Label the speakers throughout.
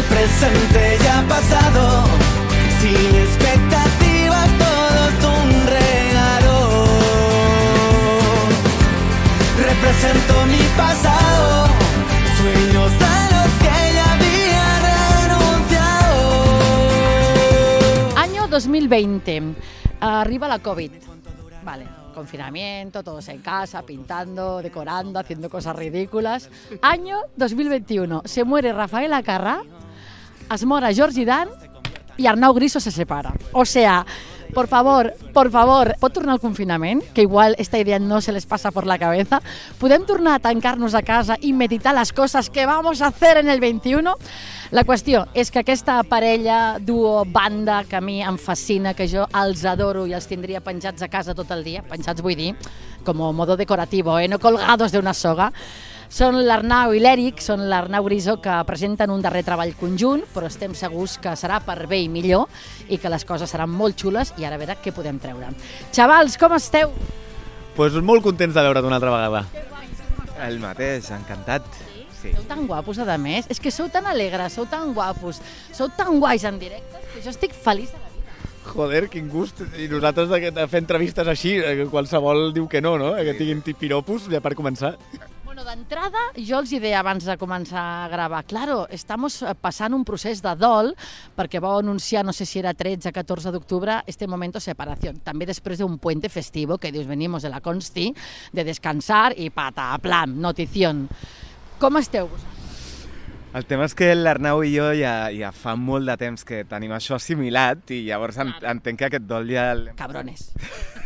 Speaker 1: presente ya pasado, sin expectativas, todo es un regalo. Represento mi pasado, sueños a los que ya había renunciado.
Speaker 2: Año 2020. Arriba la COVID. Vale, confinamiento, todos en casa, pintando, decorando, haciendo cosas ridículas. Año 2021. Se muere Rafael Acarrà, es mora Jordi Dan i Arnau Griso se separa. O sea, por favor, pot tornar al confinament? Que igual esta idea no se les pasa por la cabeza. Podem tornar a tancar-nos a casa i meditar les coses que vamos a hacer en el 21? La qüestió és que aquesta parella, duo, banda, que a mi em fascina, que jo els adoro i els tindria penjats a casa tot el dia, penjats vull dir, com a modo decorativo, no colgados de una soga, són l'Arnau i l'Eric, són l'Arnau Griso, que presenten un darrer treball conjunt, però estem segurs que serà per bé i millor i que les coses seran molt xules i ara a veure què podem treure. Xavals, com esteu?
Speaker 3: Pues molt contents de veure't una altra vegada.
Speaker 4: El mateix, encantat. Sí.
Speaker 2: Sou tan guapos, a més. És que sou tan alegres, sou tan guapos, sou tan guais en directe, que jo estic feliç de la vida.
Speaker 3: Joder, quin gust. I nosaltres de fer entrevistes així, qualsevol diu que no, que tinguin piropos, ja per començar.
Speaker 2: Bueno, d'entrada, jo els deia abans de començar a gravar, claro, estamos passant un procés de dol, perquè vau anunciar, no sé si era 13 o 14 d'octubre, este momento de separació. També després d'un puente festivo, que dius, venimos de la Consti, de descansar i pataplam, notición. Com esteu vosaltres?
Speaker 4: El tema és que l'Arnau i jo ja fa molt de temps que tenim això assimilat i llavors entenc que aquest dol ja...
Speaker 2: Cabrones.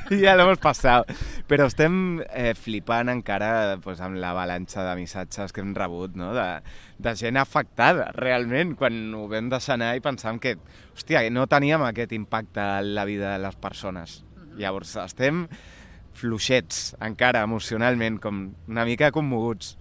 Speaker 4: Ja l'hem passat. Però estem flipant encara amb l'avalanxa de missatges que hem rebut, no? De gent afectada, realment, quan ho vam deixar anar i pensàvem que, hòstia, no teníem aquest impacte en la vida de les persones. Llavors estem fluixets encara emocionalment, com una mica commoguts.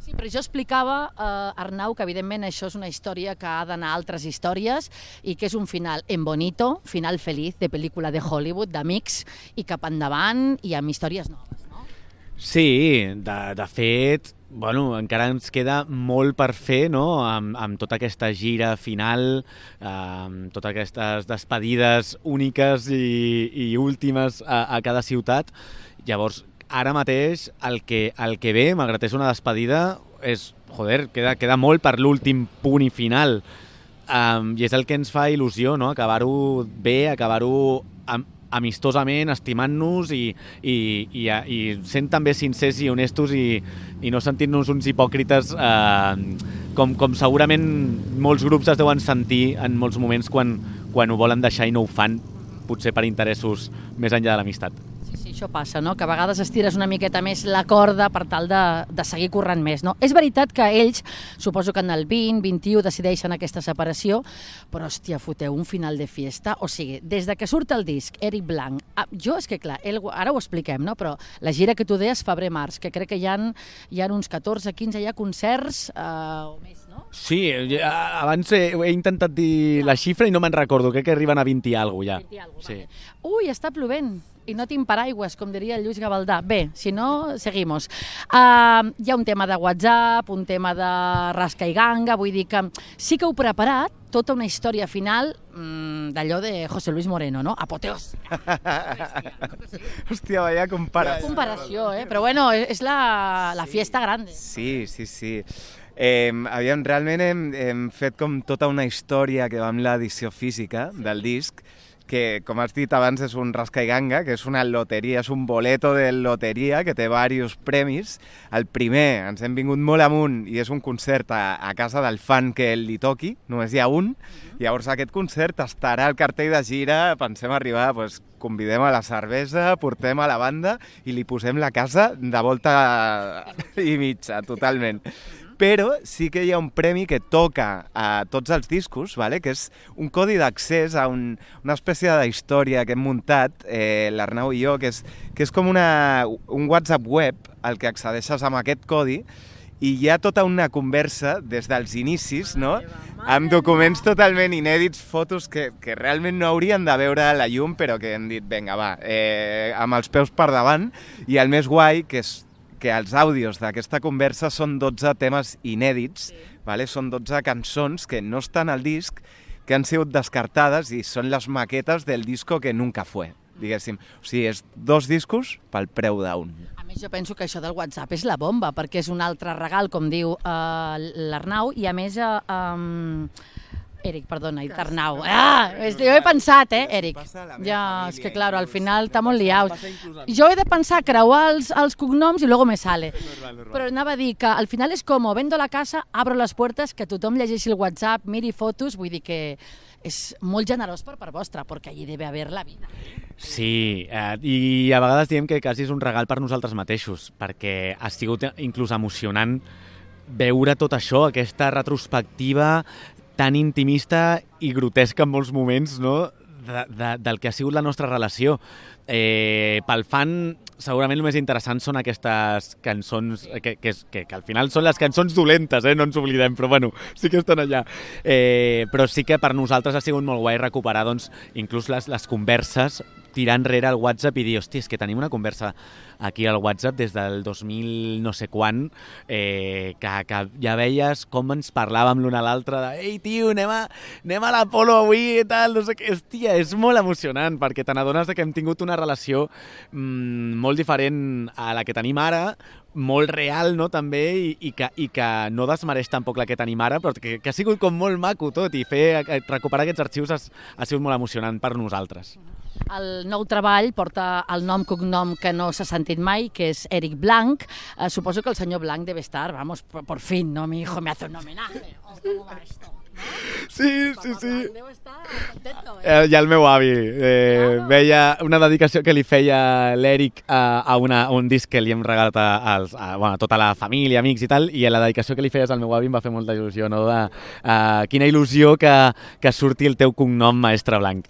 Speaker 2: Sí, però jo explicava, Arnau, que evidentment això és una història que ha d'anar a altres històries i que és un final en bonito, final feliç de pel·lícula de Hollywood, d'amics, i cap endavant i amb històries noves, no?
Speaker 3: Sí, de fet, bueno, encara ens queda molt per fer, no?, amb tota aquesta gira final, amb totes aquestes despedides úniques i últimes a cada ciutat. Llavors, ara mateix el que ve, malgrat és una despedida, és, joder, queda molt per l'últim punt i final. I és el que ens fa il·lusió, no?, acabar-ho bé, acabar-ho amistosament, estimant-nos i sent també sincers i honestos i no sentir-nos uns hipòcrites com segurament molts grups es deuen sentir en molts moments quan ho volen deixar i no ho fan, potser per interessos més enllà de l'amistat.
Speaker 2: Sí, això passa, no? Que a vegades estires una miqueta més la corda per tal de seguir corrent més, no? És veritat que ells, suposo que en el 20-21 decideixen aquesta separació, però, hòstia, foteu un final de fiesta. O sigui, des de que surt el disc, Eric Blanc, jo és que, clar, ara ho expliquem, no? Però la gira que tu deies, febrer-març, que crec que hi ha uns 14, 15 ja concerts o més, no?
Speaker 3: Sí, abans he intentat dir la xifra i no me'n recordo, crec que arriben a 20 i alguna cosa ja.
Speaker 2: 20 i alguna cosa,
Speaker 3: sí.
Speaker 2: Vale. Ui, està plovent i no tinc paraigües, com diria el Lluís Gavaldà. Bé, si no, seguimos. Hi ha un tema de WhatsApp, un tema de rasca i ganga, vull dir que sí que heu preparat tota una història final d'allò de José Luis Moreno, no? Apoteós.
Speaker 4: Hòstia, vaya comparació.
Speaker 2: Comparació, però bueno, és la fiesta grande.
Speaker 4: Sí. Realment hem fet com tota una història que va amb l'edició física del disc, que, com has dit abans, és un rasca i ganga, que és una loteria, és un boleto de loteria que té diversos premis. El primer, ens hem vingut molt amunt i és un concert a casa del fan que li toqui, només hi ha un. Llavors aquest concert estarà al cartell de gira, pensem arribar, convidem a la cervesa, portem a la banda i li posem la casa de volta i mitja, totalment. Però sí que hi ha un premi que toca a tots els discos, que és un codi d'accés a una espècie d'història que hem muntat, l'Arnau i jo, que és com un WhatsApp web al que accedeixes amb aquest codi i hi ha tota una conversa des dels inicis, no? Amb documents totalment inèdits, fotos que realment no haurien de veure la llum, però que hem dit, vinga, va, amb els peus per davant. I el més guai, que que els àudios d'aquesta conversa són 12 temes inèdits, vale? Són 12 cançons que no estan al disc, que han sigut descartades i són les maquetes del disco que nunca fue, diguéssim. O sigui, és 2 discos pel preu d'un.
Speaker 2: A més, jo penso que això del WhatsApp és la bomba, perquè és un altre regal, com diu l'Arnau, i a més... Eric, perdona, he dit Arnau. Jo he pensat, Eric. Ja, és que, claro, al final està molt liat. Jo he de pensar, creuar els cognoms i luego me sale. Però anava a dir que al final és com, vendo la casa, abro les puertes, que tothom llegeixi el WhatsApp, miri fotos, vull dir que és molt generós per part vostra, perquè allí debe haver la vida.
Speaker 3: Sí, i a vegades diem que quasi és un regal per nosaltres mateixos, perquè ha sigut inclús emocionant veure tot això, aquesta retrospectiva tan intimista i grotesca en molts moments, no?, del que ha sigut la nostra relació. Pel fan, segurament el més interessant són aquestes cançons, que al final són les cançons dolentes, no ens oblidem, però bueno, sí que estan allà. Però sí que per nosaltres ha sigut molt guai recuperar, doncs, inclús les converses, tirar enrere el WhatsApp i dir, hòstia, és que tenim una conversa aquí al WhatsApp des del 2000 no sé quan, que ja veies com ens parlàvem l'un a l'altre de «Ei, tio, anem a l'Apolo avui i tal», no sé què. Hòstia, és molt emocionant, perquè te n'adones que hem tingut una relació molt diferent a la que tenim ara, molt real, no?, també, i que no desmereix tampoc la que tenim ara, però que ha sigut com molt maco tot, i recuperar aquests arxius ha sigut molt emocionant per nosaltres.
Speaker 2: El nou treball porta el nom-cognom que no s'ha sentit mai, que és Eric Blanc. Suposo que el senyor Blanc debe estar, vamos, por fin, ¿no? Mi hijo me hace un homenaje. ¿Cómo va esto?
Speaker 3: Sí.
Speaker 2: Deu estar contento,
Speaker 3: I el meu avi veia una dedicació que li feia l'Eric a un disc que li hem regalat a tota la família, amics i tal, i la dedicació que li feies al meu avi em va fer molta il·lusió, no? Quina il·lusió que surti el teu cognom, Maestre Blanc,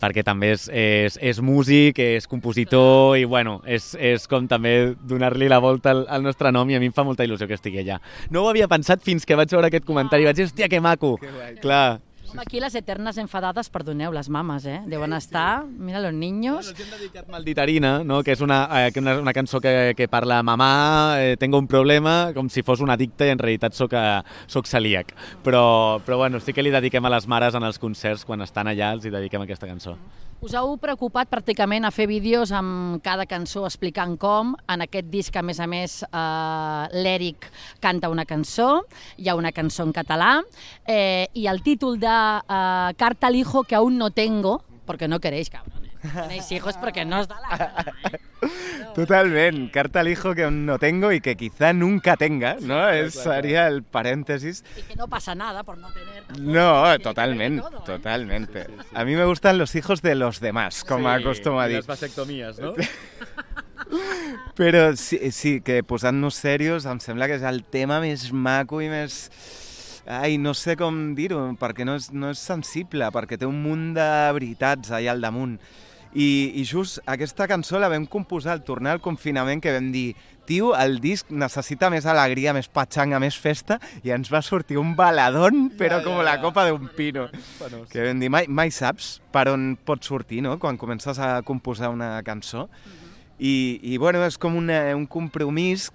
Speaker 3: perquè també és músic, és compositor i, bueno, és com també donar-li la volta al nostre nom, i a mi em fa molta il·lusió que estigui allà. No ho havia pensat fins que vaig veure aquest comentari i vaig dir, hòstia, que maco! Clar.
Speaker 2: Home, aquí les eternes enfadades, perdoneu, les mames, deuen estar, mira, los niños...
Speaker 3: Ens hem dedicat Malditarina, no?, que és una cançó que parla mamà, tengo un problema, com si fos un addicte i en realitat soc celíac. Però bueno, sí que li dediquem a les mares en els concerts, quan estan allà els hi dediquem aquesta cançó.
Speaker 2: Us heu preocupat pràcticament a fer vídeos amb cada cançó explicant com. En aquest disc, a més, l'Eric canta una cançó, hi ha una cançó en català, i el títol de Carta al hijo que aún no tengo, porque no queréis, cabrones. Tenéis hijos porque no os da la gana,
Speaker 4: Totalment, carta al hijo que aún no tengo y que quizá nunca tenga, ¿no? Sería el paréntesis.
Speaker 2: Y que no pasa nada por no tener.
Speaker 4: No, totalmente. A mí me gustan los hijos de los demás, com acostumo a dir.
Speaker 3: I les vasectomías, no?
Speaker 4: Però sí, que posant-nos serios em sembla que és el tema més maco i més... Ai, no sé com dir-ho, perquè no és sensible, perquè té un munt de veritats allà al damunt. I just aquesta cançó la vam composar al tornar al confinament, que vam dir, tio, el disc necessita més alegria, més patxanga, més festa, i ens va sortir un baladón, però com la copa d'un pino. Que vam dir, mai saps per on pot sortir, no?, quan comences a composar una cançó. I bueno, és com un compromís,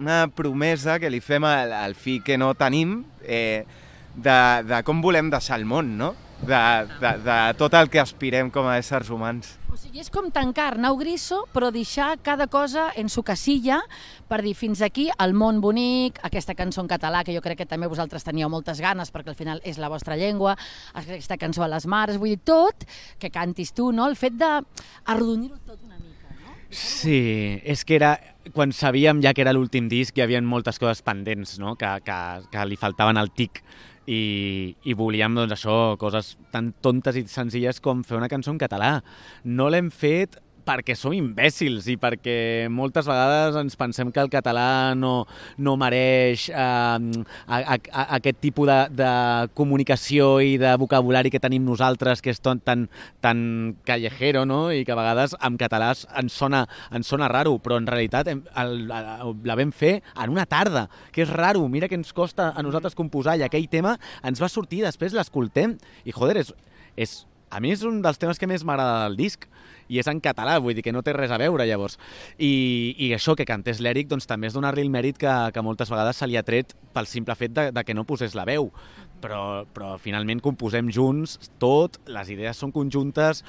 Speaker 4: una promesa que li fem al fill que no tenim, de com volem deixar el món, no? De tot el que aspirem com a éssers humans.
Speaker 2: O sigui, és com tancar Arnau Griso, però deixar cada cosa en su casilla per dir fins aquí el món bonic, aquesta cançó en català, que jo crec que també vosaltres teníeu moltes ganes, perquè al final és la vostra llengua, aquesta cançó a les mares, vull dir, tot que cantis tu, no? El fet d'arrodonir-ho tot una mica, no?
Speaker 3: Sí, és que era... Quan sabíem ja que era l'últim disc, hi havia moltes coses pendents, no?, que li faltaven al tic. I volíem, doncs, això, coses tan tontes i senzilles com fer una cançó en català. No l'hem fet perquè som imbècils i perquè moltes vegades ens pensem que el català no mereix aquest tipus de comunicació i de vocabulari que tenim nosaltres, que és tan callejero, no?, i que a vegades en català ens sona raro, però en realitat la vam fer en una tarda, que és raro. Mira que ens costa a nosaltres composar, i aquell tema ens va sortir, després l'escoltem i, joder, és a mi és un dels temes que més m'agrada del disc, i és en català, vull dir que no té res a veure, llavors. I això, que cantés l'Eric, doncs també és donar-li el mèrit que moltes vegades se li ha tret pel simple fet de que no posés la veu. Però finalment composem junts tot, les idees són conjuntes,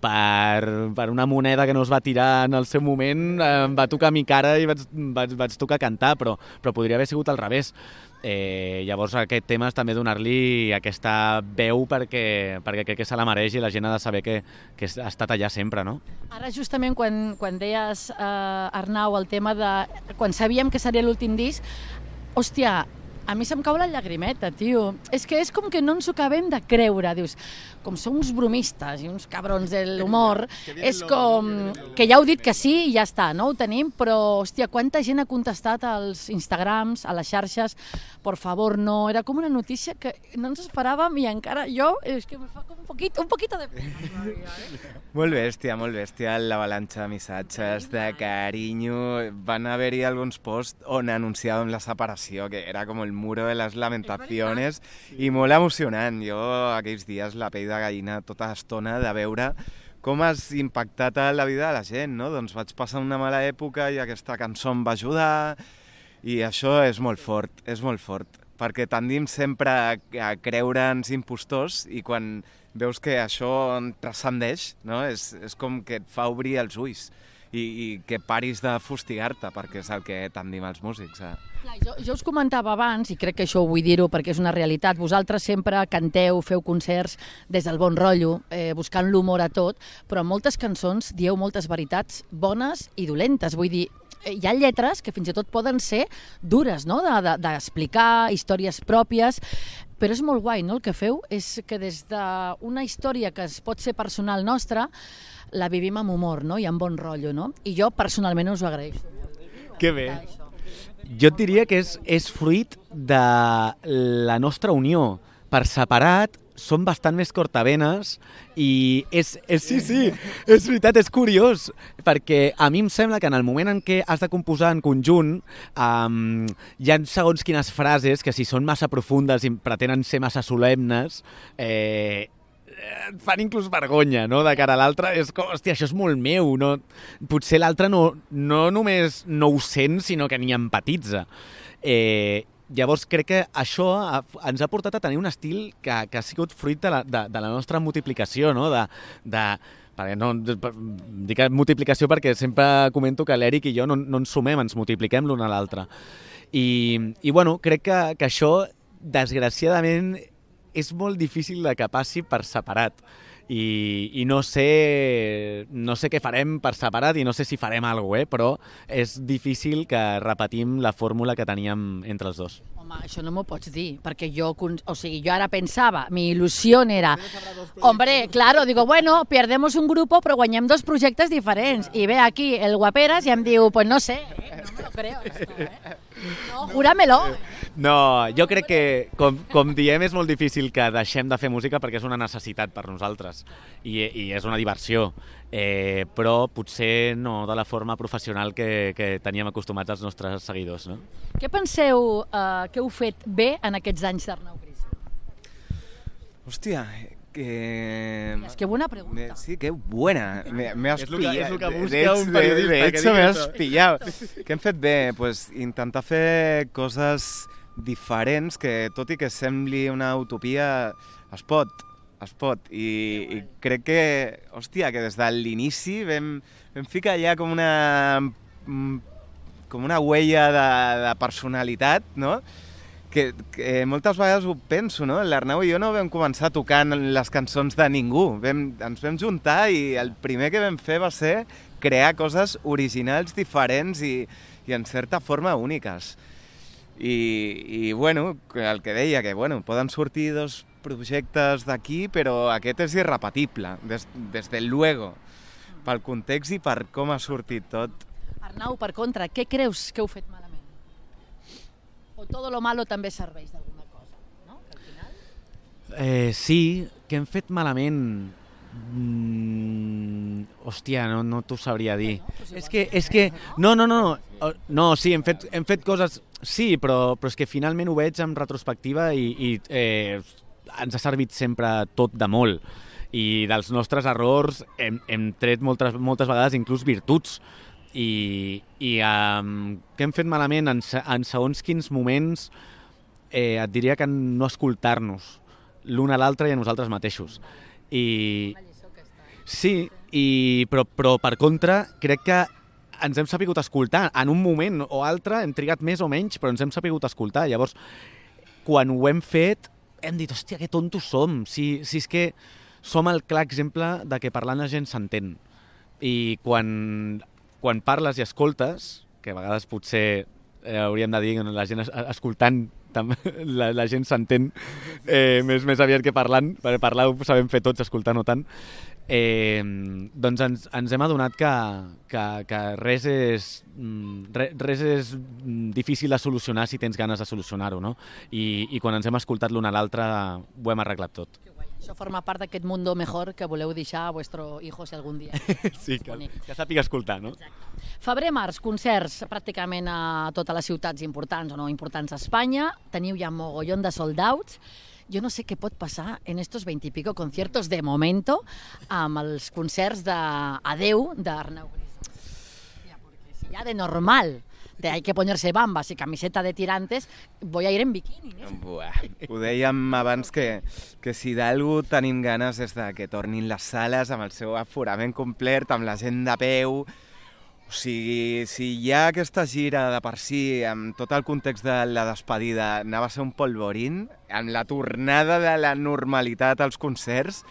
Speaker 3: per una moneda que no es va tirar en el seu moment, em va tocar a mi cara i vaig tocar cantar, però podria haver sigut al revés. Llavors aquest tema és també donar-li aquesta veu perquè crec que se la mereix i la gent ha de saber que ha estat allà sempre, no?
Speaker 2: Ara justament quan deies, Arnau, el tema de quan sabíem que seria l'últim disc, hòstia, a mi se'm cau la llagrimeta, tio. És que és com que no ens ho acabem de creure. Dius, com som uns bromistes i uns cabrons de l'humor, és com que ja heu dit que sí i ja està, no? Ho tenim, però, hòstia, quanta gent ha contestat als Instagrams, a les xarxes, por favor, no. Era com una notícia que no ens esperàvem i encara jo, és que me fa com un poquito de pena.
Speaker 4: Molt bèstia l'avalanxa de missatges, de carinyo. Van haver-hi alguns posts on anunciàvem la separació, que era com el muro de les lamentaciones, i molt emocionant. Jo aquells dies la pell de gallina tota l'estona de veure com has impactat a la vida de la gent, no? Doncs vaig passar una mala època i aquesta cançó em va ajudar, i això és molt fort, perquè tendim sempre a creure'ns impostors i quan veus que això transcendeix, no? És com que et fa obrir els ulls i que paris de fustigar-te, perquè és el que tendim els músics.
Speaker 2: Jo us comentava abans, i crec que això ho vull dir-ho perquè és una realitat, vosaltres sempre canteu, feu concerts des del bon rotllo, buscant l'humor a tot, però en moltes cançons dieu moltes veritats bones i dolentes. Vull dir, hi ha lletres que fins i tot poden ser dures, no? D'explicar històries pròpies, però és molt guai, no? El que feu és que des d'una història que es pot ser personal nostra, la vivim amb humor, no? I amb bon rotllo, no? I jo personalment us ho agraeixo.
Speaker 3: Que bé. Jo et diria que és fruit de la nostra unió. Per separat som bastant més cortavenes i sí, és veritat, és curiós, perquè a mi em sembla que en el moment en què has de composar en conjunt hi ha segons quines frases que si són massa profundes i pretenen ser massa solemnes fan inclús vergonya, no?, de cara a l'altre. És com, hòstia, això és molt meu, no? Potser l'altre no només no ho sent, sinó que ni empatitza. Llavors crec que això ens ha portat a tenir un estil que ha sigut fruit de la nostra multiplicació, no? Perquè no dic multiplicació perquè sempre comento que l'Eric i jo no ens sumem, ens multipliquem l'un a l'altre. I bueno, crec que això, desgraciadament, és molt difícil de que passi per separat. I no sé què farem per separat i no sé si farem alguna cosa, però és difícil que repetim la fórmula que teníem entre els dos.
Speaker 2: Home, això no m'ho pots dir, perquè jo ara pensava, mi ilusión era, hombre, claro, digo, bueno, perdemos un grupo, però guanyem dos projectes diferents. I ve aquí el Guaperas i em diu, pues no sé, no me lo creo esto, No, júramelo.
Speaker 3: No, jo crec que, com diem, és molt difícil que deixem de fer música perquè és una necessitat per nosaltres i és una diversió, però potser no de la forma professional que teníem acostumats els nostres seguidors, no?
Speaker 2: Què penseu que heu fet bé en aquests anys d'Arnau Gris?
Speaker 4: Hòstia,
Speaker 2: Es que buena pregunta.
Speaker 4: Sí, qué buena. Me has pillado.
Speaker 3: És el que busca un periodista.
Speaker 4: De hecho, me has pillado. Què hem fet bé? Pues intentar fer coses diferents que, tot i que sembli una utopia, es pot. I crec que, hòstia, que des de l'inici vam ficar allà com una huella de personalitat, no? Que moltes vegades ho penso, no? L'Arnau i jo no vam començar tocant les cançons de ningú. Ens vam juntar i el primer que vam fer va ser crear coses originals, diferents i en certa forma úniques. I bueno, el que deia, que bueno, poden sortir dos projectes d'aquí, però aquest és irrepetible, des del luego, pel context i per com ha sortit tot.
Speaker 2: Arnau, per contra, què creus que heu fet malament? O todo lo malo també serveix d'alguna cosa, no? Al final?
Speaker 3: Sí, que hem fet malament. Hòstia, no t'ho sabria dir. És que no, sí, hem fet coses, sí, però és que finalment ho veig en retrospectiva i ens ha servit sempre tot de molt. I dels nostres errors hem tret moltes vegades inclús virtuts. I què hem fet malament en segons quins moments et diria que no escoltar-nos l'un a l'altre i a nosaltres mateixos. Sí, però per contra crec que ens hem sapigut escoltar. En un moment o altre hem trigat més o menys, però ens hem sapigut escoltar. Llavors, quan ho hem fet, hem dit, hòstia, que tontos som. Si és que som el clar exemple de que parlant la gent s'entén. I quan parles i escoltes, que a vegades potser hauríem de dir que la gent escoltant la gent s'entén més aviat que parlant, perquè parlar ho sabem fer tots, escoltar no tant, doncs ens hem adonat que res és difícil de solucionar si tens ganes de solucionar-ho, no? I quan ens hem escoltat l'un a l'altre ho hem arreglat tot.
Speaker 2: Això forma part d'aquest mundo mejor que voleu deixar a vuestro hijo si algun dia.
Speaker 3: Sí, que sàpiga escoltar, no?
Speaker 2: Exacte. Febrer-març, concerts pràcticament a totes les ciutats importants o no importants a Espanya. Teniu ja mogollón de sold-outs. Jo no sé què pot passar en estos 20 y pico conciertos de momento amb els concerts d'Adeu d'Arnau Gris. Porque si ya de normal hay que ponerse bambas y camiseta de tirantes, voy a ir en bikini.
Speaker 4: Buah. Ho dèiem abans que si d'algú tenim ganes és de que tornin les sales amb el seu aforament complet, amb la gent de peu. O sigui, si hi ha aquesta gira de per si, amb tot el context de la despedida, anava a ser un polvorín, amb la tornada de la normalitat als concerts,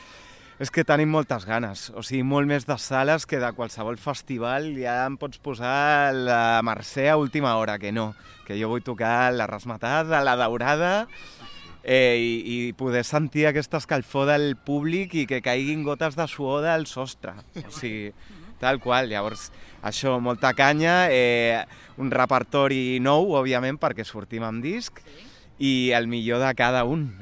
Speaker 4: és que tenim moltes ganes. O sigui, molt més de sales que de qualsevol festival. Ja em pots posar la Mercè a última hora, que no. Que jo vull tocar la Rasmatada, la Daurada, i poder sentir aquesta escalfor del públic i que caiguin gotes de suor del sostre. O sigui, tal qual. Llavors, això, molta canya, un repertori nou, òbviament, perquè sortim amb disc, i el millor de cada un,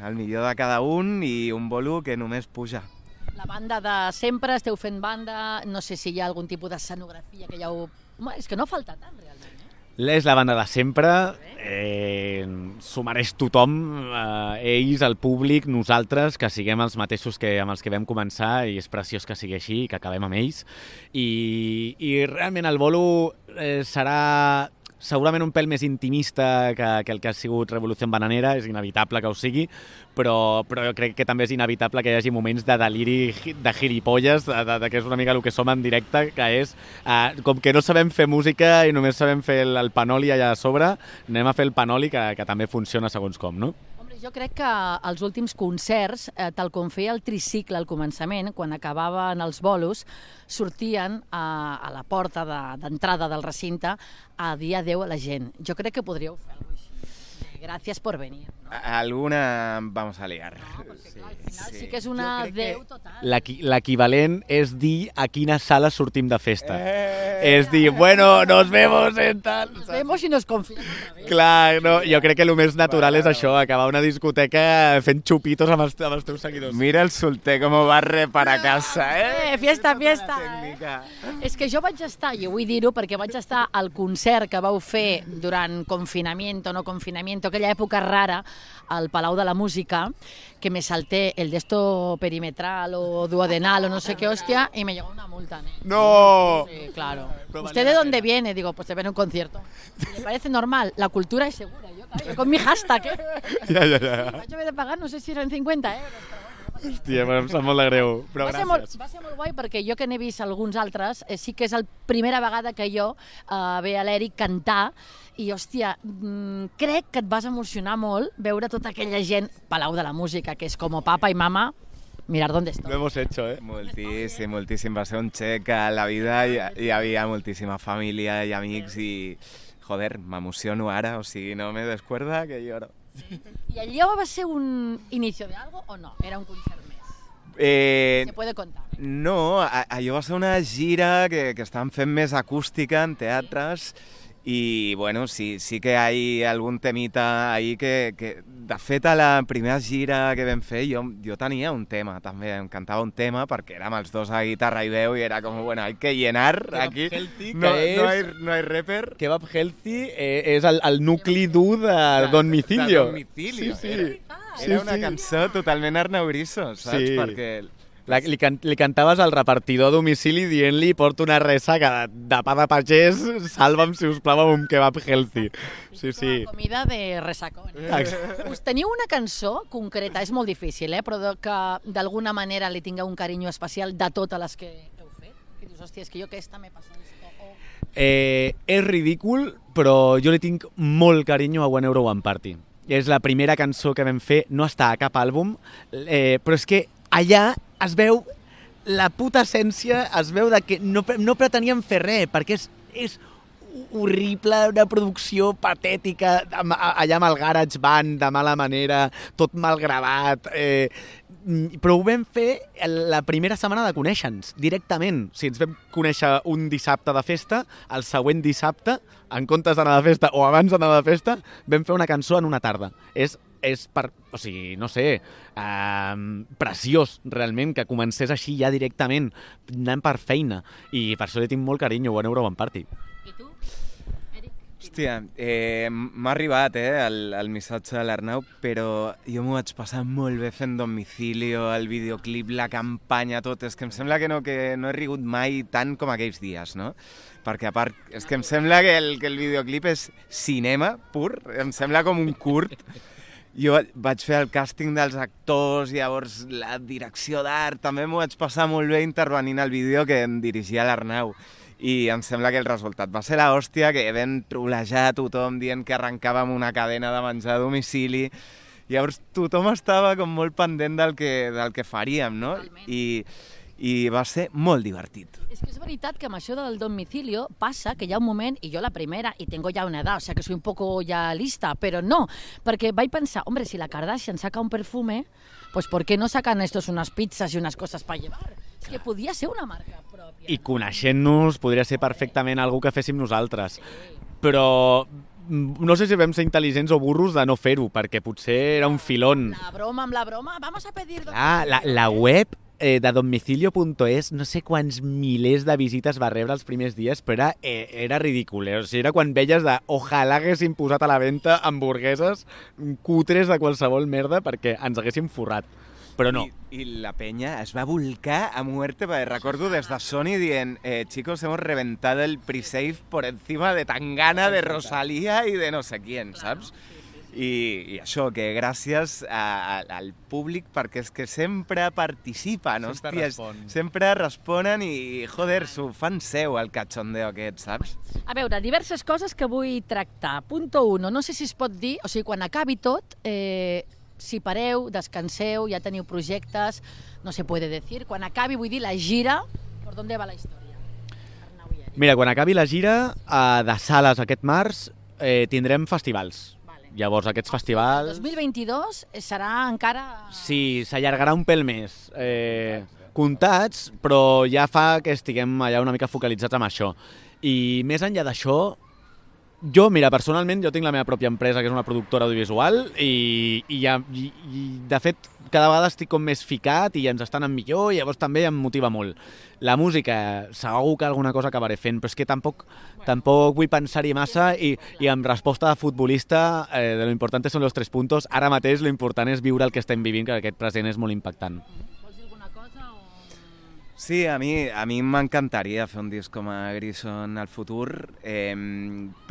Speaker 4: i un bolo que només puja.
Speaker 2: La banda de sempre, esteu fent banda, no sé si hi ha algun tipus d'escenografia que ja ho... És que no falta tant, realment.
Speaker 3: És la banda de sempre, s'ho mereix tothom, ells, el públic, nosaltres, que siguem els mateixos que amb els que vam començar, i és preciós que sigui així, que acabem amb ells. I realment el bolo serà segurament un pèl més intimista que el que ha sigut Revolució Bananera, és inevitable que ho sigui, però jo crec que també és inevitable que hi hagi moments de deliri, de gilipolles, que és una mica el que som en directe, que és, com que no sabem fer música i només sabem fer el panoli allà a sobre, anem a fer el panoli que també funciona segons com, no?
Speaker 2: Jo crec que els últims concerts, tal com feia el tricicle al començament, quan acabaven els bolos, sortien a la porta d'entrada del recinte a dir adeu a la gent. Jo crec que podríeu fer alguna cosa així. Gràcies per venir. No?
Speaker 4: Alguna vamos a liar.
Speaker 2: No, perquè clar, al final sí que és una adeu total.
Speaker 3: L'equivalent és dir a quina sala sortim de festa. És dir, bueno, nos vemos en tal...
Speaker 2: Nos vemos i nos confiem otra vez.
Speaker 3: Clar, no, jo crec que el més natural és això, acabar una discoteca fent xupitos amb els teus seguidors.
Speaker 4: Mira el solter com barre para casa,
Speaker 2: Fiesta. És que jo vaig estar, i vull dir-ho perquè vaig estar al concert que vau fer durant confinamiento, no confinamiento, aquella època rara, al Palau de la Música, que me salté el de esto perimetral o duodenal o no sé qué hostia y me llegó una multa.
Speaker 3: ¡No!
Speaker 2: Sí, claro. ¿Usted de dónde viene? Digo, pues te ven a un concierto. ¿Le parece normal? La cultura es segura. Yo con mi hashtag,
Speaker 3: Ja.
Speaker 2: Vaig haver de pagar, no sé si eren 50 euros, però bueno.
Speaker 3: Hòstia, em sap molt de greu, però gràcies.
Speaker 2: Va ser molt guai perquè jo que n'he vist alguns altres, sí que és la primera vegada que jo veia l'Eric cantar i, hòstia, crec que et vas emocionar molt veure tota aquella gent, Palau de la Música, que és com papa i mama, mirar dónde estoy.
Speaker 3: Lo hemos hecho,
Speaker 4: Moltíssim. Va ser un xec a la vida, hi havia moltíssima família i amics i, joder, m'emociono ara, o sigui, no me descuerda que lloro.
Speaker 2: ¿Y allò va ser un inicio de algo o no? Era un concert més? Se puede contar.
Speaker 4: No, allò va ser una gira que estaven fent més acústica en teatres i, bueno, sí que hi ha algun temita ahí que de fet, a la primera gira que vam fer jo tenia un tema, també, em cantava un tema perquè érem els dos a guitarra i veu i era com, bueno, hay que llenar aquí. No hay rapper.
Speaker 3: Kebab Healthy és el nucli dur de Domicilio.
Speaker 4: Sí. Era una cançó totalment Arnau Griso, saps?
Speaker 3: Sí.
Speaker 4: Perquè
Speaker 3: Li cantaves al repartidor a domicili dient-li porto una ressaca de pa de pagès, salva'm, si us plau, amb un kebab healthy. Sí, sí.
Speaker 2: La comida de resacón. Us teniu una cançó concreta, és molt difícil, però que d'alguna manera li tingueu un carinyo especial de totes les que heu fet? Que dius, hòstia, és que jo aquesta me passa esto.
Speaker 3: És ridícul, però jo li tinc molt carinyo a One Euro One Party. És la primera cançó que vam fer, no està a cap àlbum, però és que allà es veu la puta essència, es veu de que no preteníem fer res, perquè és horrible, una producció patètica, allà amb el Garage Band, de mala manera, tot mal gravat, però ho vam fer la primera setmana de conèixer-nos, directament. Si ens vam conèixer un dissabte de festa, el següent dissabte, en comptes d'anar de festa o abans d'anar de festa, vam fer una cançó en una tarda. És o sigui, no sé, preciós, realment, que comencés així ja directament, anant per feina. I per això li tinc molt carinyo, One Euro One Party.
Speaker 2: I tu?
Speaker 4: Hòstia, m'ha arribat el missatge de l'Arnau, però jo m'ho vaig passar molt bé fent Domicilio, el videoclip, la campanya, tot. És que em sembla que no he rigut mai tant com aquells dies, no? Perquè a part, és que em sembla que el videoclip és cinema pur, em sembla com un curt. Jo vaig fer el càsting dels actors, llavors la direcció d'art, també m'ho vaig passar molt bé intervenint al vídeo que em dirigia l'Arnau. I em sembla que el resultat va ser l'hòstia, que vam trolejar tothom dient que arrencàvem una cadena de menjar a domicili. Llavors tothom estava com molt pendent del que faríem, no? I va ser molt divertit.
Speaker 2: És que és veritat que amb això del domicilio passa que hi ha un moment, i jo la primera, y tengo ya una edad, o sea que soy un poco ya lista, pero no, perquè vaig pensar, hombre, si la Kardashian saca un perfume, pues ¿por qué no sacan estos unas pizzas y unas cosas para llevar? És que podia ser una marca pròpia.
Speaker 3: I coneixent-nos podria ser perfectament algú que féssim nosaltres. Però no sé si vam ser intel·ligents o burros de no fer-ho, perquè potser era un filón.
Speaker 2: Amb la broma, vamos a pedir...
Speaker 3: La web de domicilio.es, no sé quants milers de visites va rebre els primers dies, però era ridícul. O sigui, era quan veies de ojalà haguéssim posat a la venda hamburgueses cutres de qualsevol merda perquè ens haguéssim forrat. Però no.
Speaker 4: I la penya es va volcar a muerte, perquè recordo des de Sony dient chicos, hemos reventado el pre-save por encima de Tangana, de Rosalía y de no sé quién, saps? I això, que gràcies al públic, perquè és que sempre participen, hòsties, sempre responen i, joder, s'ho fan seu, el cachondeo aquest, saps?
Speaker 2: A veure, diverses coses que vull tractar. Punto 1, no sé si es pot dir, o sigui, quan acabi tot, si pareu, descanseu, ja teniu projectes, no se puede decir. Quan acabi, vull dir, la gira, per on va la història?
Speaker 3: Mira, quan acabi la gira de sales aquest març, tindrem festivals. Llavors, aquests festivals...
Speaker 2: El 2022 serà encara...
Speaker 3: Sí, s'allargarà un pèl més. Comptats, però ja fa que estiguem allà una mica focalitzats amb això. I més enllà d'això, jo, mira, personalment, jo tinc la meva pròpia empresa, que és una productora audiovisual, i de fet, cada vegada estic com més ficat i ens està anant millor, i llavors també em motiva molt. La música, segur que alguna cosa acabaré fent, però és que tampoc vull pensar-hi massa, i amb resposta de futbolista, de lo importante son los 3 puntos, ara mateix lo important és viure el que estem vivint, que aquest present és molt impactant.
Speaker 2: Vols dir alguna cosa?
Speaker 4: Sí, a mi m'encantaria fer un disc com a Grison al futur,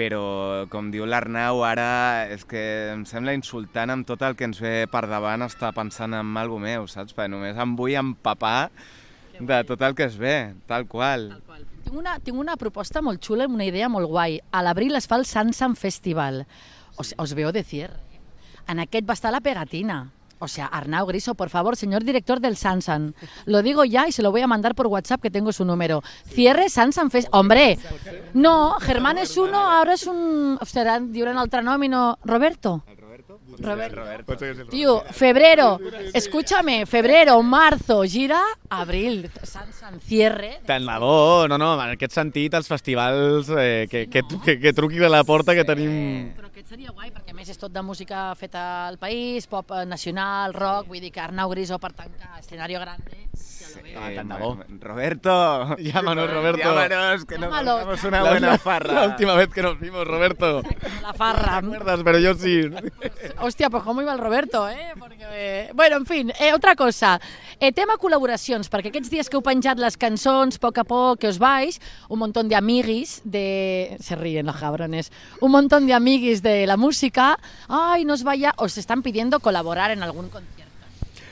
Speaker 4: però, com diu l'Arnau, ara és que em sembla insultant amb tot el que ens ve per davant estar pensant en alguna meu, saps? Perquè només em vull empapar de tot el que es ve, tal qual.
Speaker 2: Tinc una proposta molt xula, una idea molt guai. A l'abril es fa el Sansan Festival. Os veo de cierre. En aquest va estar la pegatina. O sea, Arnau Griso, por favor, señor director del Sansan. Lo digo ya y se lo voy a mandar por WhatsApp, que tengo su número. Cierre Sansan Festival. Hombre, no, Germán es uno, ahora es un... Hòstia, diuen altre nom i no... Roberto? Roberto. Tío, febrero, escúchame, febrero, marzo, gira, abril, Sansan, cierre.
Speaker 3: Tant de bo, no, en aquest sentit, els festivals que truquin a la porta que tenim...
Speaker 2: Però aquest seria guai, perquè a més és tot de música feta al país, pop nacional, rock, vull dir que Arnau Griso per tancar escenario grande,
Speaker 4: Sí,
Speaker 3: tant de bo.
Speaker 4: Roberto.
Speaker 3: Llámanos, Roberto.
Speaker 4: Llámanos, que nos
Speaker 2: Llámalo.
Speaker 4: hagamos una buena farra.
Speaker 3: La última vez que nos vimos, Roberto.
Speaker 2: La farra.
Speaker 3: ¿Te acuerdas? Pero yo sí.
Speaker 2: Hòstia, pues cómo iba el Roberto, Porque, bueno, en fin, otra cosa. Tema col·laboracions, perquè aquests dies que heu penjat les cançons, poc a poc, que us vais, un montón de amiguis de... Se ríen los cabrones. Un montón de amiguis de la música. Ay, nos vaya... Os están pidiendo colaborar en algún concierto.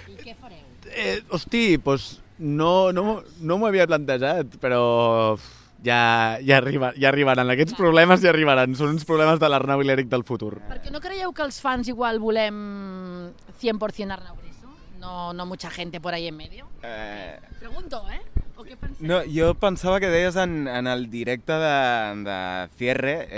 Speaker 2: I què fareu?
Speaker 3: Hosti, pues no m'ho havia plantejat, però ja arribaran. Aquests problemes ja arribaran. Són uns problemes de l'Arnau i l'Eric del futur.
Speaker 2: Perquè no creieu que els fans igual volem 100% Arnau Griso? No mucha gente por ahí en medio? Pregunto, ¿O qué penseu?
Speaker 4: No, jo pensava que deies en el directe de Cierre,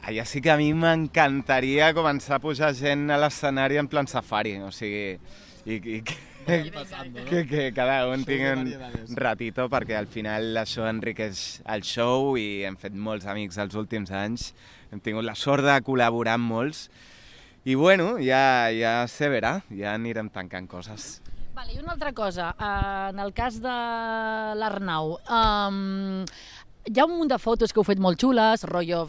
Speaker 4: allà sí que a mi m'encantaria començar a pujar gent a l'escenari en plan safari, o sigui, i que cada un tingui un ratito, perquè al final això enriqueix el show i hem fet molts amics els últims anys, hem tingut la sort de col·laborar amb molts, i bueno, ja se verà, ja anirem tancant coses.
Speaker 2: Vale, i una altra cosa, en el cas de l'Arnau, hi ha un munt de fotos que heu fet molt xules, rotllo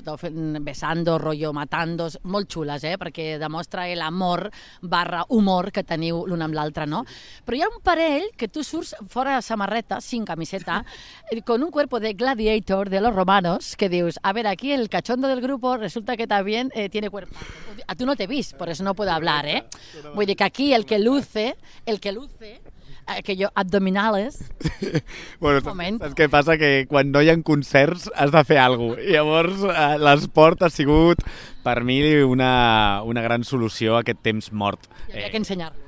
Speaker 2: besando, rotllo matandos, molt xules, perquè demostra l'amor / humor que teniu l'un amb l'altre, no? Però hi ha un parell que tu surts fora de samarreta, sin camiseta, con un cuerpo de gladiator de los romanos, que dius, a ver, aquí el cachondo del grupo resulta que también tiene cuerpo. A tu no t'he vist, por eso no puedo hablar, Vull dir que aquí el que luce, aquello abdominales...
Speaker 3: Bueno, saps què passa? Que quan no hi ha concerts has de fer alguna cosa. I llavors l'esport ha sigut, per mi, una gran solució a aquest temps mort.
Speaker 2: Hi havia que ensenyar-lo.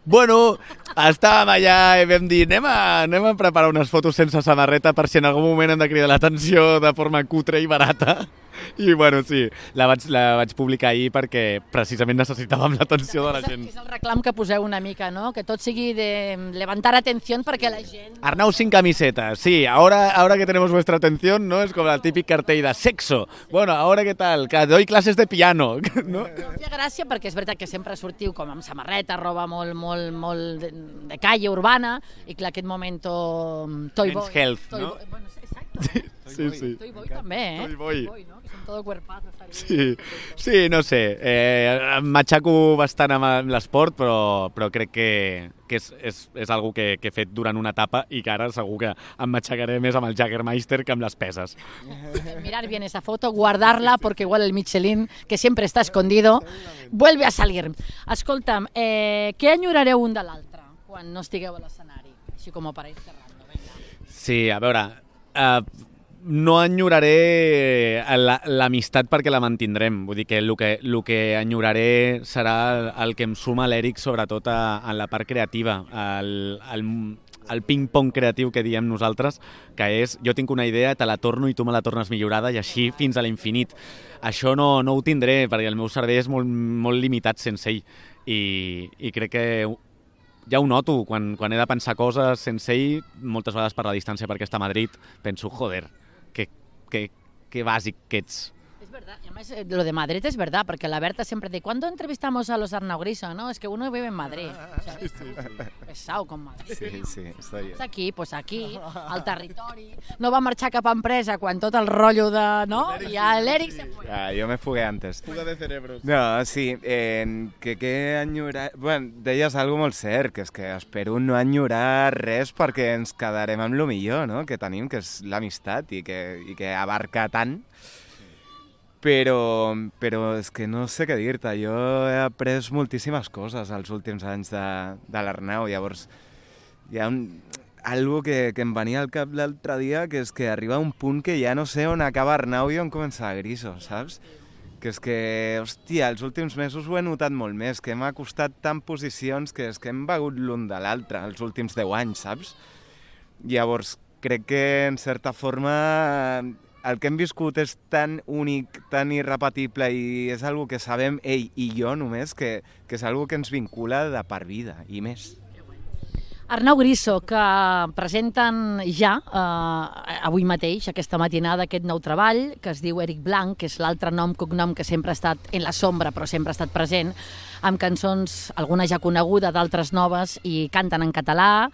Speaker 3: Bueno, estàvem allà i vam dir anem a preparar unes fotos sense samarreta per si en algun moment hem de cridar l'atenció de forma cutre i barata. I bueno, sí, la vaig publicar ahir perquè precisament necessitàvem l'atenció de la gent.
Speaker 2: És el reclam que poseu una mica, ¿no? Que tot sigui de levantar atención perquè la gent...
Speaker 3: Arnau sin camiseta, sí, ahora que tenemos vuestra atención, ¿no? Es como el típic cartell de sexo. Bueno, ahora qué tal, que doy clases de piano, ¿no?
Speaker 2: Em fa gràcia perquè és veritat que sempre sortiu com amb samarreta, roba molt de calle urbana, i clar, aquest moment Toy Boy.
Speaker 3: Men's health, no?
Speaker 2: Bueno, exacte.
Speaker 3: Sí.
Speaker 2: Toy Boy també,
Speaker 3: Toy Boy.
Speaker 2: ¿no? Que són todo cuerpazo.
Speaker 3: Sí, no sé. Em matxaco bastant amb l'esport, però crec que és algo que he fet durant una etapa i que ara segur que em matxacaré més amb el Jägermeister que amb les peses.
Speaker 2: Mirar bien esa foto, guardarla, porque igual el Michelin, que siempre está escondido, vuelve a salir. Escolta'm, què enyorareu un de l'altre quan no estigueu a l'escenari? Així com per ir cerrando, venga.
Speaker 3: Sí, a veure... no enyoraré l'amistat perquè la mantindrem. Vull dir que el que enyoraré serà el que em suma l'Eric, sobretot en la part creativa, el ping-pong creatiu que diem nosaltres, que és, jo tinc una idea, te la torno i tu me la tornes millorada, i així fins a l'infinit. Això no ho tindré, perquè el meu cervell és molt limitat sense ell, i crec que ja ho noto, quan he de pensar coses sense ell, moltes vegades per la distància perquè està a Madrid, penso, joder, que bàsic que ets.
Speaker 2: Es verdad, y además lo de Madrid es verdad, porque la Berta siempre dice, ¿cuándo entrevistamos a los Arnau Griso? No, es que uno vive en Madrid. O sea, sí. Pesado con Madrid.
Speaker 4: Sí, estoy bien.
Speaker 2: Aquí, pues aquí, al territori. No va marxar cap empresa quan tot el rotllo de... No? I l'Eric se fue.
Speaker 4: Jo me fugué antes.
Speaker 3: Fuga de cerebros.
Speaker 4: No, sí, que enyorar... Bueno, deies algo molt cert, que és que espero no enyorar res perquè ens quedarem amb lo millor, no?, que tenim, que és l'amistat i que abarca tant. Però és que no sé què dir-te. Jo he après moltíssimes coses els últims anys de l'Arnau. Llavors, hi ha algo que em venia al cap l'altre dia, que és que arriba un punt que ja no sé on acaba Arnau i on comença Griso, saps? Que és que, hòstia, els últims mesos ho he notat molt més, que m'ha costat tant posicions que és que hem begut l'un de l'altre els últims 10 anys, saps? Llavors, crec que, en certa forma, el que hem viscut és tan únic, tan irrepetible i és algo que sabem ell i jo només, que és algo que ens vincula de per vida i més.
Speaker 2: Arnau Griso, que presenten ja avui mateix, aquesta matinada, aquest nou treball, que es diu Eric Blanc, que és l'altre cognom que sempre ha estat en la sombra, però sempre ha estat present. amb cançons, alguna ja coneguda, d'altres noves, i canten en català,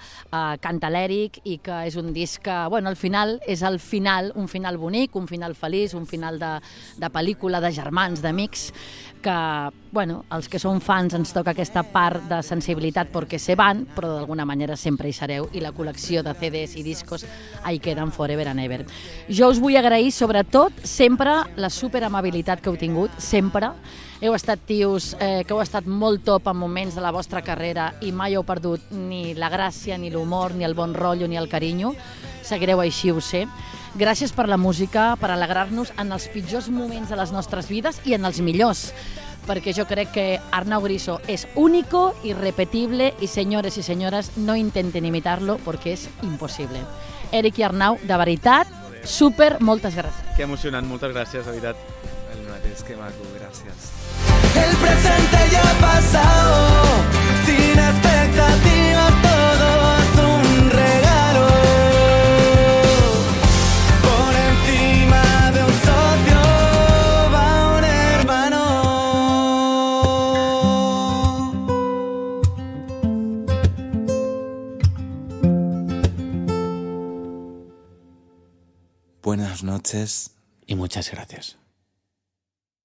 Speaker 2: canta l'Eric, i que és un disc que, bueno, al final és el final, un final bonic, un final feliç, un final de pel·lícula, de germans, d'amics, que, bueno, els que som fans ens toca aquesta part de sensibilitat perquè se van, però d'alguna manera sempre hi sereu, i la col·lecció de CDs i discos hi queden forever and ever. Jo us vull agrair, sobretot, sempre la superamabilitat que heu tingut, sempre. Heu estat tios que heu estat molt top en moments de la vostra carrera i mai heu perdut ni la gràcia, ni l'humor, ni el bon rotllo, ni el carinyo. Seguireu així, ho sé. Gràcies per la música, per alegrar-nos en els pitjors moments de les nostres vides i en els millors, perquè jo crec que Arnau Griso és único, irrepetible, i senyores i senyores, no intenten imitar-lo perquè és impossible. Eric i Arnau, de veritat, super, moltes gràcies.
Speaker 3: Que emocionant, moltes gràcies, de veritat.
Speaker 4: El mateix, que maco, gràcies.
Speaker 1: El presente ya ha pasado, sin expectativas, todo es un regalo. Por encima de un socio va un hermano.
Speaker 5: Buenas noches.
Speaker 3: Y muchas gracias.